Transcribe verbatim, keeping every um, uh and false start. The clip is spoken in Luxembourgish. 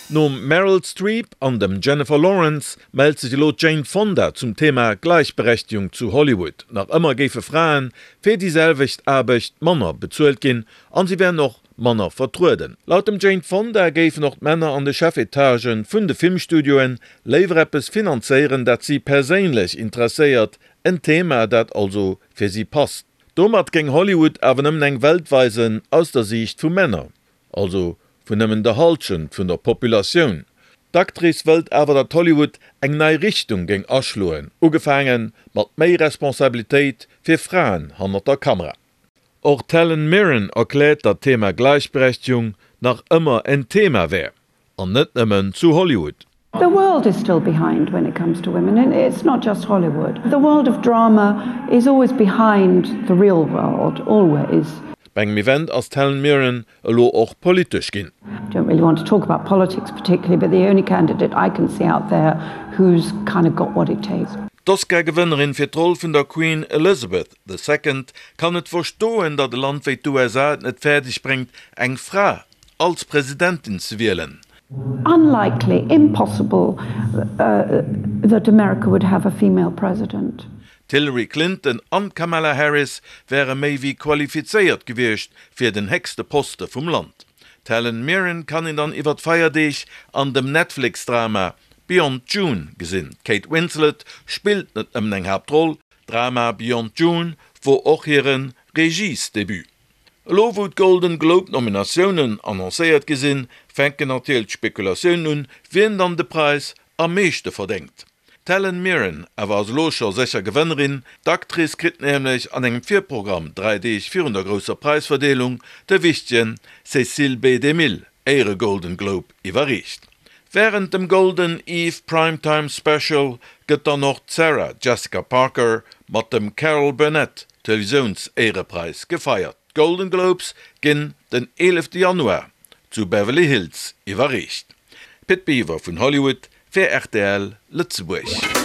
Nom Meryl Streep an dem Jennifer Lawrence mellt sech elo d'Jane Fonda zum Thema Gläichberechtigung zu Hollywood. Nach ëmmer géife Fraen fir déi selwecht Aarbecht manner bezuelt ginn an si wären och manner vertrueden. Laut dem Jane Fonda géifen och d'Männer an de Chefetagen vun de Filmstudioen léiwer eppes finanzéieren, dat si perséinlech interesséiert, en Thema, dat also fir si passt. Domat géing Hollywood awer nëmmen eng Welt weisen aus der Siicht vu Männer, also vun nëmmen der Hallschent vun der Populatioun. D'Actrice wëllt awer, datt Hollywood eng nei Richtung géing aschloen, ugefaange mat méi Responsabilitéit fir Fraen hannert der Kamera. Och d'Helen Mirren erkläert, datt d'Thema Gläichberechtegung nach ëmmer en Thema wär, an net nëmmen zu Hollywood. The world is still behind when it comes to women and it's not just Hollywood. The world of drama is always behind the real world, always. Bei engem Event ass d'Helen Mirren elo och politesch ginn. Don't really want to talk about politics particularly, but the only candidate I can see out there who's kind of got what it takes. D'Oscar-Gewënnerin fir d'Roll vun der Queen Elizabeth the Second kann net verstoen, datt e Land wéi d'USA et net fäerdeg bréngt, eng Fra als Presidentin ze wielen. Unlikely, impossible that America would have a female president. D'Hillary Clinton an d'Kamala Harris wäre méi wéi qualifizéiert gewiescht fir den héchste Poste vum Land. D'Helen Mirren kann een dann iwwer d'Feierdeeg an dem Netflix-Drama Beyond June gesinn. D'Kate Winslet spillt net nëmmen eng Haaptroll, Drama Beyond June wor och hire Regiesdebut. Elo wou d'Golden Globe Nominatiounen annoncéiert gi sinn, fänken natierlech d'Spekulatiounen un, wien dann de Präis am meeschte verdéngt. D'Helen Mirren awer ass elo scho sécher Gewënnerin. D'Actrice kritt nämlech an engem Virprogramm dräi Deeg virun der grousser Präisverdeelung de wichtegen Cecil B. DeMille Éiere-Golden Globe iwwerreecht. Wärend dem Golden Eve Primetime Special gëtt dann och d'Sarah Jessica Parker mat dem Carol Burnett Televisiouns-Éierepräis gefeiert. D'Golden Globes ginn den eelefte Januar zu Beverly Hills iwwerreecht. Pit Biwer vun Hollywood fir rtl Lëtzebuerg.